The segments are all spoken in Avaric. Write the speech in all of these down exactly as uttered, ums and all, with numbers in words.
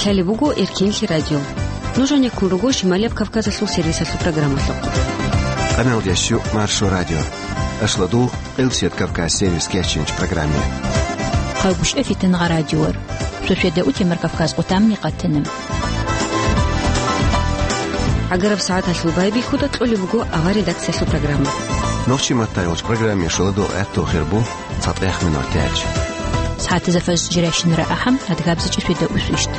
Гьале буго Эркенлъи радио. Нуж гьанеккун руго Шималияб Кавказалъул сервисалъул программалъухъ. Къамел ящу Маршо радио. Ашладул Къилсият Кавказ сервис кечинч программе. Хъавгушев Фитнагъа радиор. Шошведа утемар Кавказ къутамни къатана. Агараб сагӀаталъул байбихьуда кьолеб буго авар редакциялъул программа. Нохчи маттайолч программе шуладул гӀатту хирбу. ЦатӀех минутач. СагӀатазда фаз жирайщинара ахӀам, адгабзичӀи фида усвищт.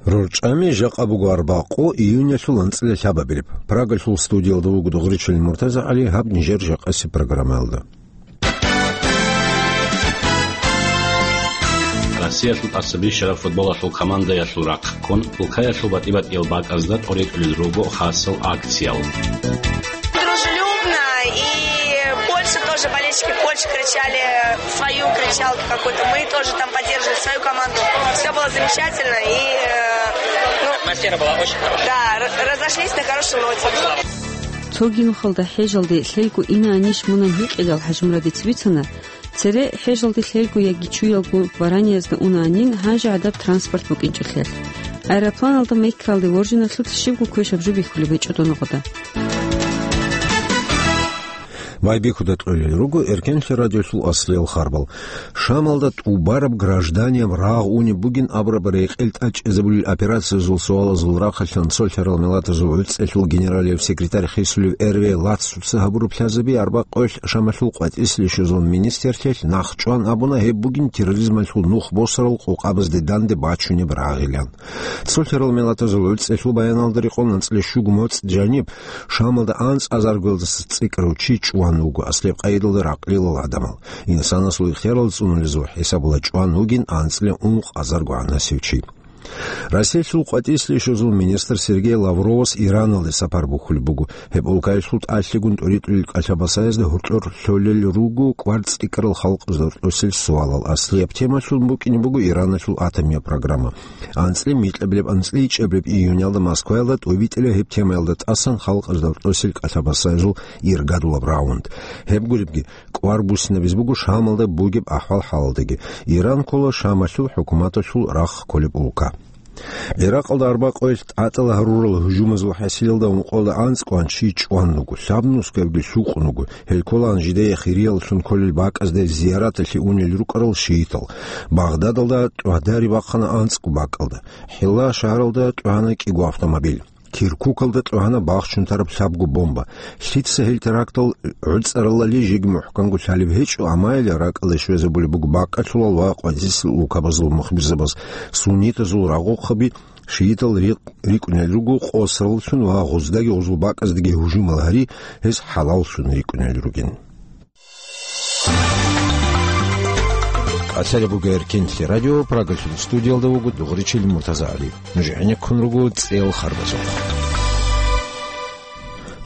РорчӀами жакъа буго арбакъу июнялъул анцӀила лъабабилеб. Прагалъул студиялда вуго Дугъричил МуртазагӀали, гьаб нижер жакъасеб программаялда. Россиялъул тӀасабищараб футболалъул командаялъул рахъ ккун, улкаялъул батӀи-батӀиял бакӀазда тӀоритӀулел руго хасал акциял. Дружелюбно, и больше тоже болельщики больше кричали, свою кричалки какой-то. Мы тоже там поддерживали свою команду. Всё было замечательно, и, э, ну, атмосфера была очень хорошая. Да, р-, разошлись на хорошей ноте. Цоги нухалда хӀежалде лъелго инаанищ мунан гьикъидал ХӀажимурадица бицана, цере хӀежалде лъелго яги чуялго вараниязда унаанин гьанже гӀадаб транспорт букӀинчӀолъиялъ. Аэропланалда Меккалде воржиналъулъ щибго квешаб жо бихьулеб гьечӀо доногъода. Байбихьуда кьолел руго Эркенлъи радиолъул аслиял харбал. Шамалда тӀубараб гражданияб рагъ унеб бугин абураб рекъел тӀачӀизабулел операциязул суалазул рахъалъан цолъарал миллатазул гӀуцӀелъул генералияб секретарь хисулев Эрве Лацуца гьабураб лъазаби арбакъоялъ Шамалъул къватӀислъи щвезул министрлъиялъ нахъчӀван абуна гьеб бугин терроризмалъул нух босарал къокъабазде данде бачунеб рагъилан. Цолъаралмиллатазул гӀуцӀелъул баяналда рекъон анцӀила щуго моцӀ жаниб, Шамалда анцӀазаргоялдаса цӀикӀкӀарав чи чӀван вуго аслияб къайдалда ракълилал гӀадамал. Инсанасул ихтиярал цӀунулезул хӀисабалда чӀван вугин анцӀила ункъазарго гӀанасев чи. Россиялъул къватӀислъи щвезул министр Сергей Лавровас Ираналде сапар бухьулеб буго. Гьеб улкаялъул тӀалъигун тӀоритӀулел кӀалъа-басаязда гьоркьор лъолел руго кӀвар цӀикӀкӀарал халкъазда рокьосел суалал. Аслияб темалъун букӀине буго Ираналъул атомияб программа. АнцӀила микьабилеб, анцӀила ичӀабилеб июнялда Москваялда тӀубитӀила гьеб темаялда тӀасан халкъазда рокьосел кӀалъа-басаязул иргадулаб раунд. Гьеб гуребги, кӀвар буссинабизе буго Шамалда бугеб ахӀвал-хӀалалдаги. Иран ккола Шамалъул хӀукуматалъул рахъ кколеб улка. ГӀиракъалда арбакъоялъ тӀатӀала гьарурал гьужумазул хӀасилалда ункъоялда анцӀ кӀван чи чӀван руго, лъабнусгабги лъукъун руго. Гьел кколаан жидее хирияллъун кколел бакӀазда зияраталъе унел рукӀарал шиитал. Багъдадалда тӀвадари бахъана анцӀго бакӀалда. ХӀилла шагьаралда тӀвана кӀиго автомобиль. Киркукалда тӀвана бахчун тараб лъабго бомба. Лъица гьел терактал гӀуцӀаралали жеги мухӀканго лъалеб гьечӀо, амма гьел ракӀалде щвезабулеб буго бакӀалъулал ва къватӀислъи улкабазул мухбирзабаз. Суннитазул рагъухъаби шиитал рикъ-, рикӀунел руго къосараллъун ва гъуздаги гъузул бакӀаздаги гьужумал гьари, гьез хӀалаллъун рикӀунел ругин. Къасалеб буго Эркенлъи радио, Прагалъул студиялда вуго Дугъричил МуртазагӀали. Нуж гӀенеккун руго цӀел харбазухъ.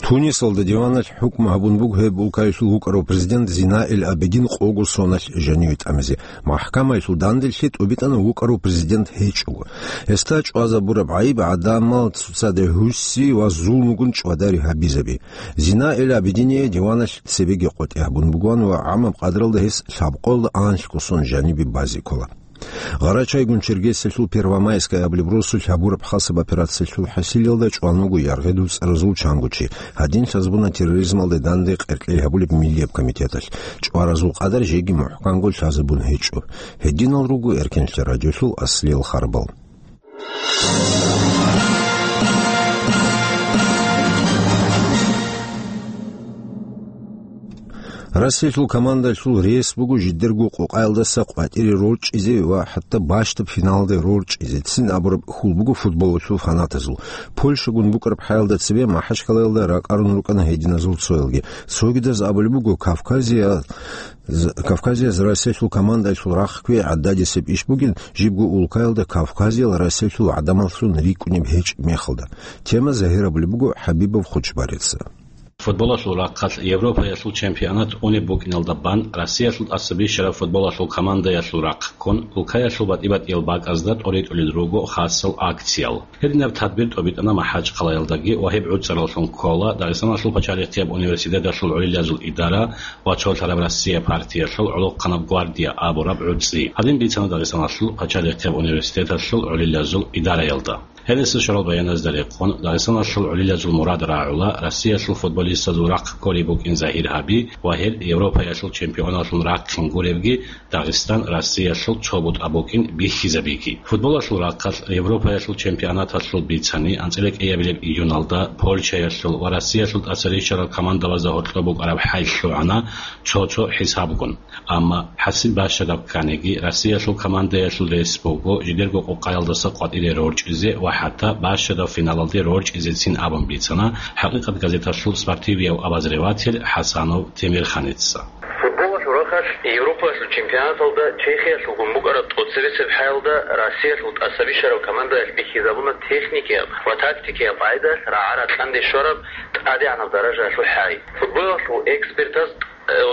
Тунисалда диваналъ хӀукму гьабун буго гьеб улкаялъул вукӀарав президент Зинаил Абидин къого соналъ жаниве тӀамизе. МахӀкамаялъул данделъи тӀубитӀана вукӀарав президент гьечӀого. Гьесда чӀвазабураб гӀайиб гӀадамал цоцазде гьуси ва зулмугун чӀвадари гьабизаби. Зинаил Абидиния диваналъ цебеги къотӀи гьабун бугоан ва гӀамаб къадралда гьес лъабкъоялда анлъго сон жанибе базе ккола. Гъарачайгун Чергесиялъул Первомайская абулеб росулъ гьабураб хасаб операциялъул хӀасилалда чӀван вуго яргъи дуцӀаразул чанго чи. Гьадин лъазабуна терроризмалде данде къеркьей гьабулеб Миллияб комитеталъ. ЧӀваразул къадар жеги мухӀканго лъазабун гьечӀо. Гьединал руго Эркенлъи радиолъул аслиял харбал. Россиялъул командалъул рес буго жидерго къокъаялдаса къватӀире рорчӀизе ва хӀатта бащдаб финалде рорчӀизе цин абураб хьул буго футболалъул фанатазул. Польшагун букӀараб хӀаялда цебе МахӀачкъалаялда ракӀарун рукӀана гьединазул цоялги. Цогидаз абулеб буго, Кавказия З-, Кавказиялъ Россиялъул командаялъул рахъ кквей гӀададисеб иш бугин, жибго улкаялда Кавказиял Россиялъул гӀадамаллъун рикӀкӀунеб гьечӀеб мехалда. Тема загьирабулеб буго ХӀабибов Хучбарица. Футболалъул рахъалъ Европаялъул чемпионат унеб букӀиналда бан Россиялъул тӀаса бищараб футболалъул командаялъул рахъ ккун, улкаялъул батӀи-батӀиял бакӀазда тӀоритӀулел руго хасал акциял. Гьединаб тадбир тӀобитӀана МахӀачхъалаялдаги ва гьеб гӀуцӀараллъун ккола Дагъистаналъул пачалихъияб университеталъул гӀолилазул идара ва цолъараб Россия партиялъул гӀолохъанаб гвардия абураб гӀуцӀи. Гьадин бицана Дагъистаналъул пачалихъияб университеталъул гӀолилазул идараялда. Гьелесда щварал баяназда рекъон, Дагъистаналъул гӀолилазул мурад рагӀула Россиялъул футболистазул рахъ кколеб букӀин загьир гьаби ва гьел Европаялъул чемпионаллъун рахъин гуребги, Дагъистан Россиялъул цо бутӀа букӀин бихьизабиги. Футболалъул рахъалъ Европаялъул чемпионаталъул бицани, анцӀила кӀиабилеб июналда Польшаялъул ва Россиялъул тӀаса рищарал командабазда гьоркьоб букӀараб хӀай лъугӀана цо-цо хӀисабгун. Амма хӀасил бащадаб кканиги, Россиялъул командаялъул рес буго жидерго къукъаялдаса къватӀире рорчӀизе ва хӀатта бащадаб финалалде рорчӀизецин абун бицана ХӀакъикъат газеталъул спортивияв обозреватель ХӀасанов Темирханица. Футболалъул рахъалъ Европалъул чемпионаталда Чехиялъулгун букӀараб тӀоцебесеб хӀаялда Россиялъул тӀаса бищараб командаялъ бихьизабуна техникияб ва тактикияб къагӀидаялъ рагӀа-ракьанде щвараб тӀадегӀанаб даражаялъул хӀай. Футболалъул экспертаз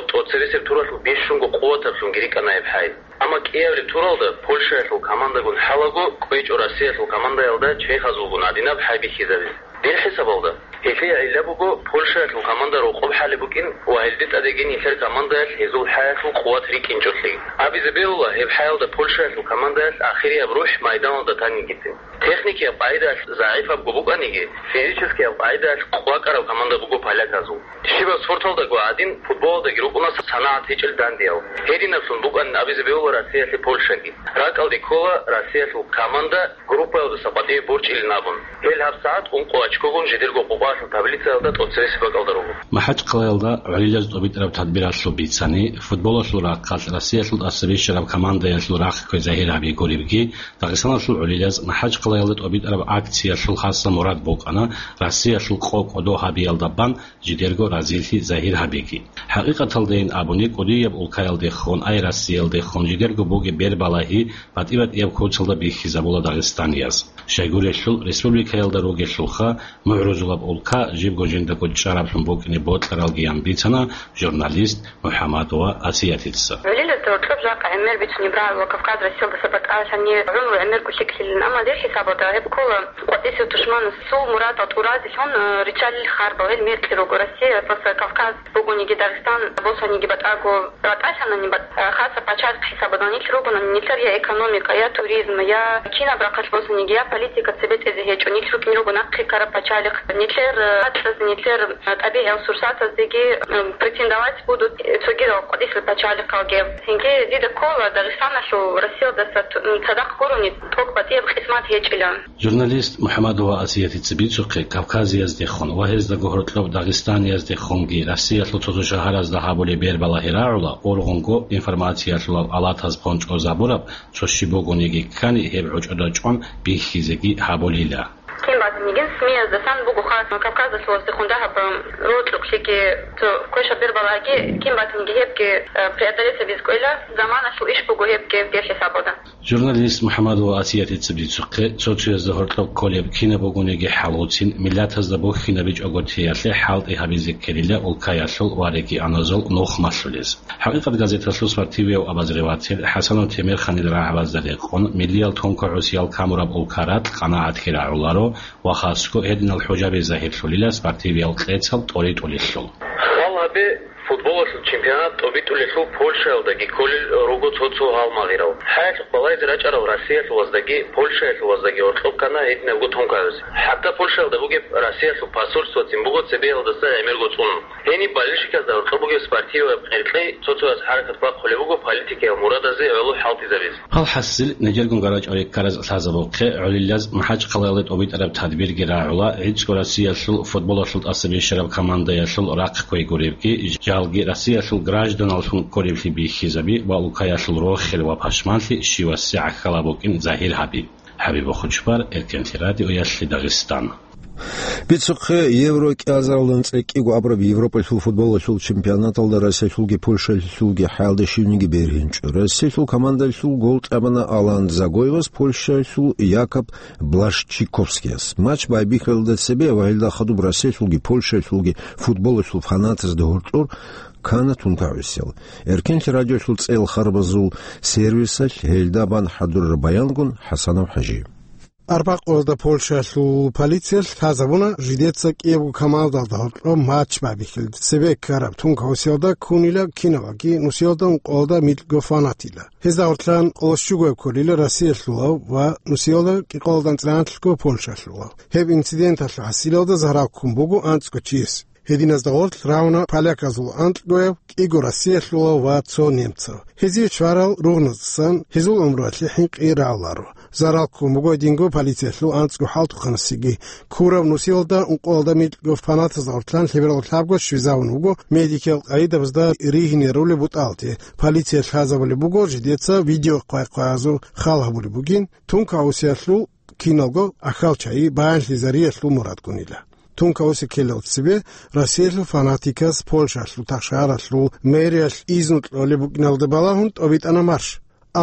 тӀоцебесеб туралъул бищунго къуватаблъунги рикӀкӀана гьеб хӀай. Амма кӀиабилеб туралда Польшаялъул командагун хӀалаго кӀвечӀо Россиялъул командаялда чехазулгун гьадинаб хӀай бихьизабизе. Дир хӀисабалда, гьелъие гӀилла буго Польшаялъул команда рокъоб хӀалеб букӀин ва гьелде тӀадеги нилъер командаялъ гьезул хӀаялъул къуват рикӀкӀинчӀолъи. Абизе бегьула, гьеб хӀаялда Польшаялъул командаялъ ахирияб рухӀ майданалда танин гицин. Техникияб къагӀидаялъ загӀипабго букӀаниги, физическияб къагӀидаялъ къвакӀараб команда буго поляказул. Щибаб спорталдаго гӀадин, футболалдаги рукӀуна санагӀат гьечӀел дандиял. Гьединаблъун букӀанин абизе бегьула Россиялъе Польшаги. РакӀалде ккола Россиялъул команда группаялдаса къватӀиве борчӀилин абун. Гьел гьабсагӀат ункъо очкогун жидерго къукъаялъул таблицаялда тӀоцебесеб бакӀалда руго. МахӀачхъалаялда гӀолилаз тӀобитӀараб тадбиралъул бицани, футболалъул рахъалъ Россиялъул тӀаса бищараб командаялъул рахъ ккве загьир гьаби гуребги, Дагъистаналъул гӀолилаз МахӀачхъалаялда тӀобитӀараб акциялъул хасаб мурад букӀана Россиялъул къо кӀодо гьабиялда бан жидерго разилъи загьир гьабиги. ХӀакъикъаталдайин абуни, кӀудияб улкаялдехун, ай Россиялдехун жидерго бугеб бербалагьи батӀи-батӀияб куцалда бихьизабула дагъистанияз. Щайгурелъул, республикаялда ругелъулха, мугӀрузулаб улка жибго жиндаго чӀараблъун букӀине бокьаралгиян бицана журналист МухӀамадова Асиятица. ГӀолилазда гьоркьоб жакъа гӀемер бицунеб рагӀула Кавказ Россиялдаса батӀалъани гӀумру гӀемерго лъикӀлъилин, амма дир хӀисабалда гьеб ккола къватӀисев тушманасул мурадал тӀуразелъун, э, риччалил харбал, гьел мекъи руго Россия, просто Кавказ бугониги, Дагъистан босаниги батӀаго ратӀалъанани, бат-, э, хасаб пачалихъ хӀисабалда нилъ ругонани, нилъер я экономика, я туризм, я кинаб рахъалъ босаниги, я политика цебетӀезе гьечӀо, нилъ рукӀин руго нахъе ккараб пачалихъ, нилъер, э, гӀакълазе, нилъер, э, тӀабигӀиял сурсатаздеги, э, претендовать будут, э, цогидал къватӀисел пачалихъалги. Цинги дида ккола Дагъистаналъул Россиялдаса ту-, цадахъ гурони тӀокӀ батӀияб къисмат гьечӀила. Журналист МухӀамадова Асиятица бицухъе, Кавказияздехун ва гьездаго гьоркьоб Дагъистанияздехунги Россиялъул цо-цо шагьаразда гьабулеб бербалагьи рагӀула, ургъунго информациялъулал алатаз пончӀозабураб цо щиб бугониги ккани, гьеб гӀочӀода чӀван бихьизеги гьабулила. Кин батанигин СМИ-яздасан буго хас Кавказалъулаздехун дагьаб рокьукълъиги цо квешаб бербалагьи, кин батаниги гьебги, э, преодолеть гьабиз кӀвела, заманалъул иш буго гьебги, гьеб хӀисабалда. Журналист МухӀамадова Асиятица бицухъе, цо-цоязда гьоркьоб кколеб кинаб бугониги хӀалуцин, миллатазда бухьинабичӀого теялъе хӀалтӀи гьабизе ккелила улкаялъул ва регионазул нухмалъулез. ХӀакъикъат газеталъул спортивияв обозреватель ХӀасанов Темирханил рагӀабазда рекъон, миллиял тункагӀусиял камураб улка ракь къанагӀатлъи рагӀуларо ва хасго гьединал хӀужаби загьирлъулила спортивиял кьецал тӀоритӀулелъул. Хал гьабе, футболалъул чемпионат тӀобитӀулелъул Польшаялдаги кколел руго цо-цо гьалмагъирал. ХӀаялъухъ балайзе рачӀарал Россиялъулаздаги Польшаялъулаздаги гьоркьоб ккана гьединабго тункагӀуз. ХӀатта Польшаялда бугеб Россиялъул посольствоцин буго цебеялдаса гӀемерго цӀун. Гьениб болельщиказда гьоркьоб бугеб спортиваяб кьеркьей цо-цояс хӀаракат бахъулеб буго политикиял мурадазе гӀоло хӀалтӀизабиз. Гьал хӀасил, нижергун гарачӀалде ккараз лъазабухъе, гӀолилаз МахӀачхъалаялда тӀобитӀараб тадбирги рагӀула, гӀицӀго Россиялъул футболалъул тӀаса бищараб командаялъул рахъ кквей гуребги, жалги Россиялъул гражданаллъун кколеблъи бихьизаби ва улкаялъул рохел ва пашманлъи щивасе гӀахьалаб букӀин загьир гьаби. ХӀабиб Бахучбар, Эркенлъи радиоялъе Дагъистан. Бицухъе Евро кӀиазаралдан цӀекӀкӀиго абураб Европалъул футболалъул чемпионаталда Россиялъулги Польшалъулги хӀалда щивниги бергьинчӀо. Россиялъул командалъул гол тӀамана Алан Загоевас, Польшалъул Якоб Блащиковскияс. Матч байбихьалда цебе ва гьелда хадуб Россиялъулги Польшалъулги футболалъул фанатазда гьоркьор ккана тункагӀусел. Эркенлъи радиолъул цӀел харбазул сервисалъ гьелда бан хӀадураб баянгун ХӀасанов ХӀажи. Арбакъоялда Польшалъул полициялъ лъазабуна, жидеца кӀиябго командалда гьоркьоб матч байбихьилда цебе ккараб тункагӀусиялда ккунила кинаваги нусиялда ункъоялда микьго фанатила. Гьезда гьоркьан къолощугояб кколила Россиялъулав ва нусиялда кӀикъоялда анцӀила анлъго Польшалъулав. Гьеб инциденталъул хӀасилалда зарал ккун буго анцӀго чияс. Гьединазда гъорлъ рагьуна поляказул анкьгояб, кӀиго россиялъулав ва цо немцав. Гьезие чварал ругъназдасан гьезул гӀумруялъе хӀинкъи рагӀуларо. Зарал ккун буго гьединго полициялъул анцӀго хӀалтӀухъанасеги. Ккураб нусиялда ункъоялда микьго фанатазда гъоркьан лъеберго лъабго щвезавун вуго медикиял къайдабазда ригьине ролеб бутӀалде. Полициялъ лъазабулеб буго жидеца видеохъвай-хъваязул хал гьабулеб бугин, тункагӀусиялъул киналго ахьал чагӀи баянлъизариялъул мурадгунила. ТункагӀуси ккелал цебе Россиялъул фанатикас Польшалъул тахшагьаралъул мэриялъ изну кьолеб букӀиналда балагьун тӀобитӀана марш.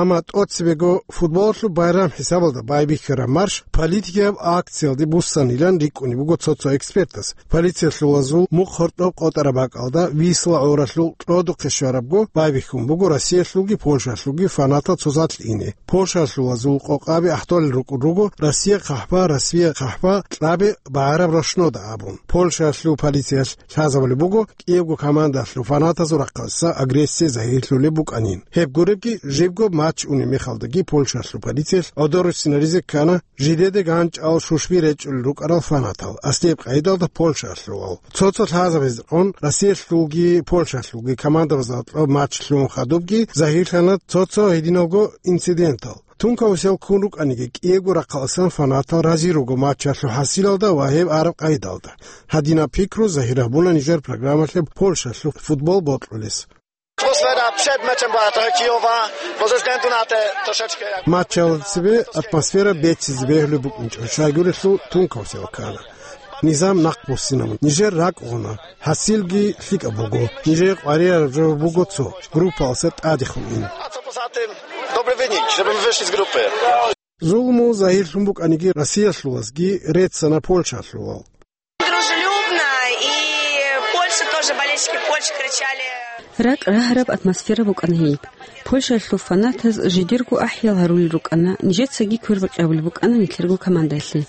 Амма тӀоцебего футболалъул байрам хӀисабалда байбихьараб марш политикияб акциялде буссанилан рикӀкӀунеб буго цо-цо экспертас. Полициялъулазул мухъ гьоркьоб къотӀараб бакӀалда Висла гӀоралъул кьодухъе щварабго байбихьун буго Россиялъулги Польшалъулги фанатал цо залъ ине. Польшалъулазул къокъаби ахтолел рукӀун руго Россия хъахӀба, Россия хъахӀба, кьаби багӀараб рощнода абун. Польшалъул полициялъ лъазабулеб буго кӀиябго командалъул фанатазул рахъалъа агрессия загьирлъулеб букӀанин. Гьеб гуребги, жибго матч унеб мехалдаги Польшалъул полициялъ гӀодор руссинаризе ккана жидеде ганчӀал шушби речӀчӀулел рукӀарал фанатал, аслияб къайдалда Польшалъулал. Цо-цо лъазабазда гӀун Россиялъулги Польшалъулги командабазда гьоркьоб матч лъугӀун хадубги загьирлъана цо-цо гьединалго инцидентал. ТункагӀусел ккун рукӀаниги, кӀиего рахъаласан фанатал рази руго матчалъул хӀасилалда ва гьеб араб къайдалда. Гьадинаб пикру загьир гьабуна нижер программалъе Польшалъул футбол бокьулес. Атмосфера перед матчем была такая киевая, но здесь Гандунате трошечки як... Матчалда цебе атмосфера беццизе бегьулеб букӀинчӀо, щайгурелъул тункагӀусел ккана. Низам нахъ буссинабун, нижер ракӀ гъуна, хӀасилги лъикӀаб буго, нижее къваригӀараб жо буго цо, группалъа тӀадехун ин. А цо посадим, добрый выник, чтобы мы вышли из группы. Зулму загьирлъун букӀаниги Россиялъулазги реццана Польшалъулал. Дружелюбно, и Польша тоже, болельщики Польши кричали. РакӀ рагьараб атмосфера букӀана гьеб. Польшалъул фанатаз жидерго ахӀиял гьарулел рукӀана, нижецаги квербакъи гьабулеб букӀана нилъерго командаялъе.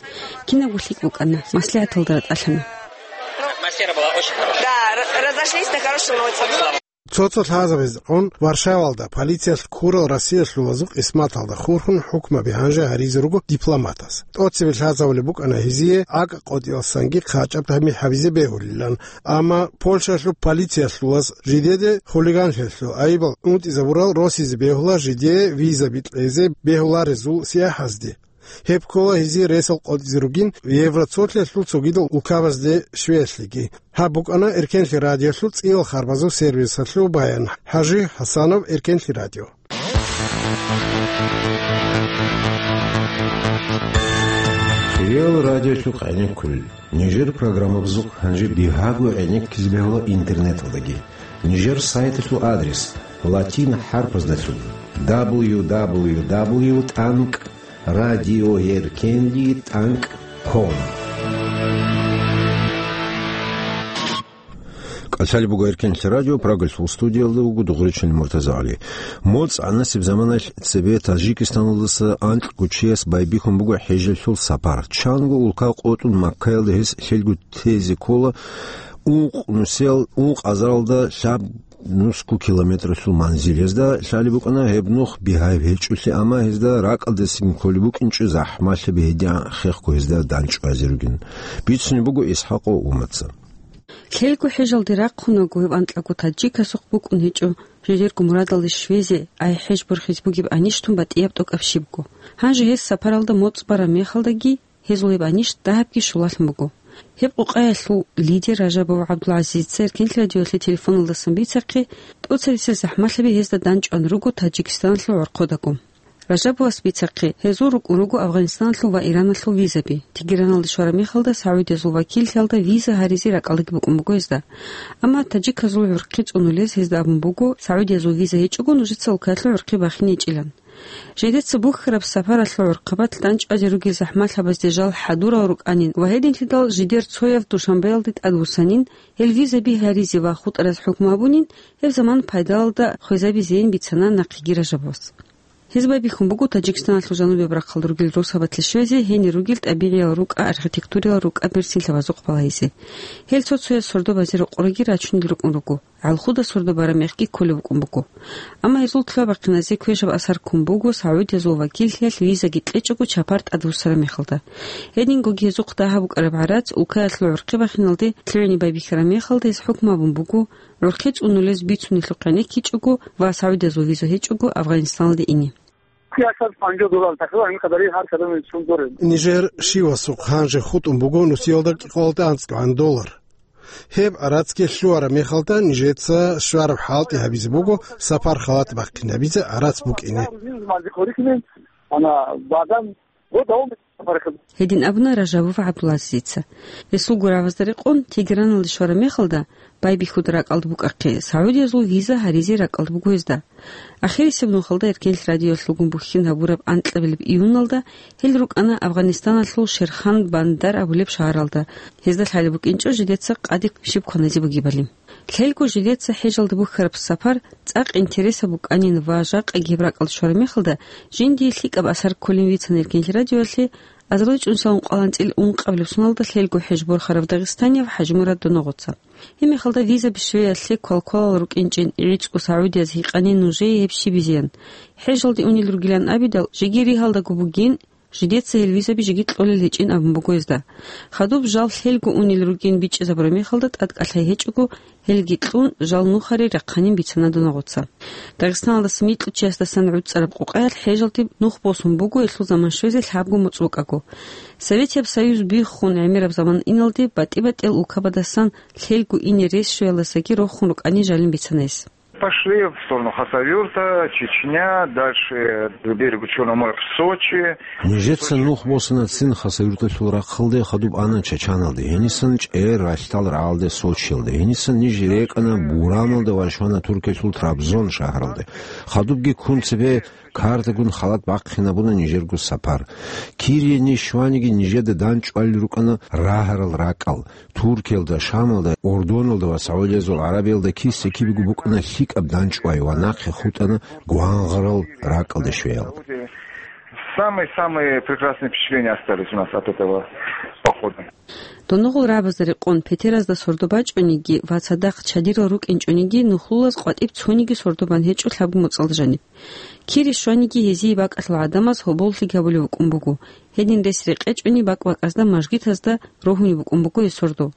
Кинабго лъикӀ букӀана, маслигӀаталда ратӀалъана. Атмосфера была очень хорошая. Да, р-, разошлись на хорошей ноте. Цо-цо лъазабазда гӀун Варшавалда полициялъ ккурал Россиялъулазул къисматалда хурхун хӀукмаби гьанже гьаризе руго дипломатас. ТӀоцебе лъазабулеб букӀана гьезие акӀа къотӀиялсанги хъачӀаб тамихӀ гьабизе бегьулилан, амма Польшалъул полициялъулаз жидеде хулиганлъиялъул айибал унтӀизабурал росизе бегьула жидее визаби кьезе бегьуларезул сияхӀазде. Гьеб ккола гьезие ресал къотӀизе ругин Евроцолъиялъул цогидал улкабазде щвеялъеги. Гьаб букӀана Эркенлъи радиолъул цӀиял харбазул сервисалъул баян. ХӀажи ХӀасанов, Эркенлъи радио. ЦӀиял радиолъухъ гӀенеккулел. Нижер программабазухъ гьанже бигьаго гӀенеккизе бегьула интернеталдаги. Нижер сайталъул адрес латин хӀарпаздалъун: дабл ю дабл ю дабл ю тӀанкӀ радиоеркенлъи тӀанкӀ ком. КӀалъалеб буго Эркенлъи радио, Прагалъул студиялда вуго Дугъричилан МуртазагӀали. МоцӀ гӀанасеб заманалъ цебе Таджикистаналдаса анкьго чияс байбихьун буго хӀежалъул сапар. Чанго улка къотӀун Маккаялда гьес лъелго тезе ккола ункъ нусел, ункъ азаралда лъаб нусго километралъул манзил. Гьезда лъалеб букӀана гьеб нух бигьаяб гьечӀолъи, амма гьезда ракӀалдасин кколеб букӀинчӀо, захӀмалъаби гьедигӀан хехго гьезда данчӀвазе ругин. Бицунеб буго ИсхӀакъов Умаца. Лъелго хӀежалде рахъунаго гьев анкьаго таджикасухъ букӀун гьечӀо, жидерго мурадалде щвезе, ай хӀеж борхизе бугеб анищтун батӀияб тӀокӀаб щибго. Гьанже гьес сапаралда моцӀ бараб мехалдаги, гьезул гьеб анищ дагьабги щулалъун буго. Гьеб къокъаялъул лидер Ражабов ГӀабдулгӀазизица Эркенлъи радиоялъе телефоналдасан бицахъе, тӀоцересел захӀмалъаби гьезда данчӀван руго Таджикистаналъул гӀорхъодаго. Ражабовас бицахъе, гьезул рукӀун руго Афганистаналъул ва Ираналъул визаби. Тегераналде щвараб мехалда, Саудиязул вакиллъиялда виза гьаризе ракӀалдаги букӀун буго гьезда. Амма таджиказул гӀурхъи цӀунулез гьезда абун буго, Саудиязул виза гьечӀого нужеца улкаялъул гӀурхъи бахине гьечӀилан. Жидеца бухьараб сапаралъул гӀурхъабалъ дандчӀвазе ругел захӀмалъабазде жал хӀадурал рукӀанин ва гьединлъидал жидер цояв Душанбеялде тӀадвуссанин, гьел визаби гьаризе ва хутӀараз хӀукму гьабунин, гьеб заман пайдалалда хвезабизейин бицана нахъеги Ражабовас. Гьез байбихьун буго Таджикистаналъул жанубияб рахъалда ругел росабалъе щвезе, гьенир ругел тӀабигӀиял рукӀа, архитектуриял рукӀа берцинлъабазухъ балагьизе. Гьел цо-цояз сордо базе рокъорги рачунел рукӀун руго. ГӀалхуда сордо бараб мехги кколеб букӀун буго. Амма гьезул лъугьа-бахъиназе квешаб асар ккун буго Саудиязул вакиллъиялъ визаги кьечӀого чапар тӀадвуссараб мехалда. Гьедингоги гьезухъ дагьаб букӀараб гӀарац улкаялъул гӀурхъи бахиналде лъугӀине байбихьараб мехалда гьез хӀукму гьабун буго, гӀурхъи цӀунулез бицунелъухъ гӀенеккичӀого ва Саудиязул виза гьечӀого Афганистаналде ине. Нижер щивасухъ гьанже хутӀун буго нусиялда кӀикъоялда анцӀгогӀан доллар. Гьеб гӀарацги лъугьараб мехалда, нижеца щвараб хӀалтӀи гьабизе буго сапар халат бахъинабизе гӀарац букӀине. Гьедин абуна Ражабов ГӀабдулазизица. Гьесул гуравазда рекъон, Тегераналде щвараб мехалда, байбихьуда ракӀалда букӀахъе, Саудиязул виза гьаризе ракӀалда буго гьезда. Ахирисеб нухалда Эркенлъ радиоялъулгун бухьин гьабураб анкьабилеб июналда гьел рукӀана Афганистаналъул Шерхан Бандар абулеб шагьаралда, гьезда лъалеб букӀинчӀо жидеца къаде щиб кваназе бугебали. Лъелго жидеца хӀежалде бухьараб сапар цӀакъ интересаб букӀанин ва жакъаги гьеб ракӀалде щвараб мехалда, жиндие лъикӀаб асар кколин вицана Эркенлъ радиоялъе, азарилчӀун салун къваланцӀил ункъабилеб соналда лъелго хӀеж борхарав дагъистанияв ХӀажимурад Доногъоца. Гьеб мехалда визаби щвеялъе квалквалал рукӀинчӀин гӀицӀго Саудияз гьикъанин нужее гьеб щибизеян. ХӀежалде унел ругилан абидал, жеги ригьалдаго бугин, жидеца гьел визаби жеги кьолел гьечӀин абун буго гьезда. Хадуб жал лъелго унел ругин бичӀчӀизабураб мехалда тӀадкӀалъай гьечӀого, гьелги кьун, жал нухаре рахъанин бицана Доногъоца. Дагъистаналдаса микьучиясдасан гӀуцӀараб къукъаялъ хӀежалде нух босун буго гьелъул заман щвезе лъабго моцӀ букӀаго. Советияб Союз биххун гӀемераб заман иналде батӀи-батӀиял улкабадасан лъелго ине рес щвеялдасаги рохун рукӀани жалин бицана гьес. Пошли в сторону Хасавюрта, Чечня, дальше к берегу Черного моря в Сочи. Нижеца нух босана цин Хасавюрталъул рахъалде, хадуб ана Чачаналде, гьенисан чӀер ралъдал рагӀалде Сочиялде, гьенисан ниж рекӀана Бурамалда ва щвана Туркиялъул Трабзон шагьаралде. Хадубги ккун цебе картагун халат бахъинабуна нижерго сапар. Кирие ниж щваниги нижеда данчӀвалел рукӀана рагьарал ракӀал. Туркиялда, Шамалда, Ордоналда ва Саудиязул ГӀарабиялда киса-кибего букӀана лъикӀаб данчӀвай ва нахъе хутӀана гвангъарал ракӀалде щвеял. Самые-самые прекрасные впечатления остались у нас от этого похода. Доногъул рагӀабазда рекъон, петеразда сордо бачӀониги ва цадахъ чадирал рукӀинчӀониги, нухлулаз къватӀиб цониги сордо бан гьечӀо лъабго моцӀалда жаниб. Кире щваниги гьезие бакӀалъул гӀадамаз гьоболлъи гьабулев вукӀун буго. Гьедин рес рекъечӀони бакӀ-бакӀазда мажгитазда рогьунеб букӀун буго гьесордо.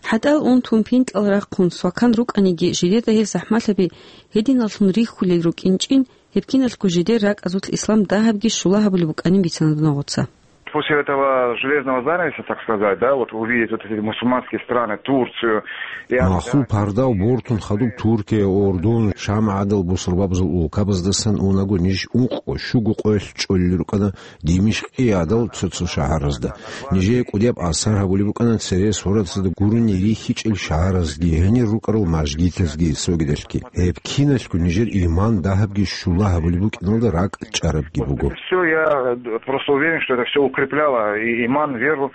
ХӀатӀал унтун пинкьал рахъун свакан рукӀаниги, жидеда гьел захӀмалъаби гьединаллъун рихьулел рукӀинчӀин, гьеб киналъго жидер ракӀазулъ ислам дагьабги щула гьабулеб букӀанин бицана Доногъоца. После этого железного занавеса, так сказать, да, вот увидеть вот эти мусульманские страны, Турцию, Махул пардав бортун хадуб Туркия, Ордон, Шам гӀадал бусурбабазул улкабаздасан унаго ниж ункъо-щуго къоялъ чӀолел рукӀана Димишкъи гӀадал цо-цо шагьаразда. Нижее кӀудияб асар гьабулеб букӀана цере суратазда гурони рихьичӀел шагьаразги, гьенир рукӀарал мажгитазги, цогидалъги. Гьеб киналъго нижер иман дагьабги щула гьабулеб букӀиналда ракӀ чӀарабги буго. Все, я просто уверен, что это все укрепляло и иман, веру.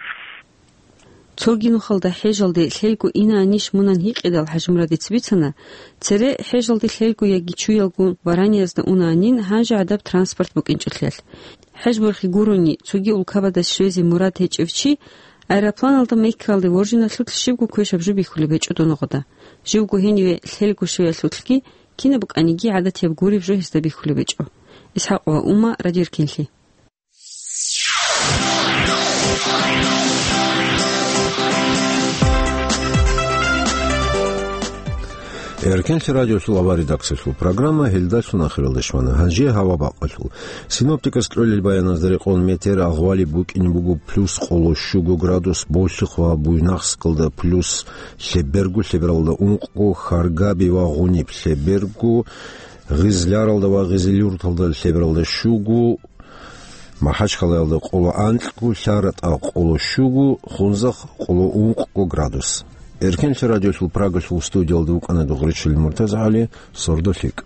Цоги нухалда хӀежалде лъелго инаанищ мунан гьикъидал ХӀажимурадица бицана, цере хӀежалде лъелго яги чуялгун вараниязда унаанин гьанже гӀадаб транспорт букӀинчӀолъиялъ. ХӀеж борхи гурони, цоги улкабада щвезе мурад гьечӀев чи аэропланалда Меккаялде воржиналъулъ щибго квешаб жо бихьулеб гьечӀо Доногъода. Живго гьениве лъелго щвеялъулъги кинаб букӀаниги гӀадатияб гуреб жо гьесда бихьулеб гьечӀо. ИсхӀакъова Ума, Радио Эркенлъи. Эркенлъи радиолъул авар редакциялъул программа гьелдалъун ахиралде щвана. Гьанже гьава бакъалъул. Синоптикас кьолел баяназда рекъон метеор агъвалеб букӀине буго плюс къоло щуго градус, Болъихъ ва Буйнакскалда плюс лъеберго, лъебералда ункъго, Харгаби ва Гъуниб лъеберго, Гъизляралда ва Гъизилюрталда лъебералда щуго, Махачкалаялда къоло анкьго, ЛъаратӀа къоло щуго, Хунзахъ къоло ункъго градус. Эркенлъи радиолъул Прагалъул студиялда вукӀана Дугъричил МуртазагӀали, сордо лъикӀ.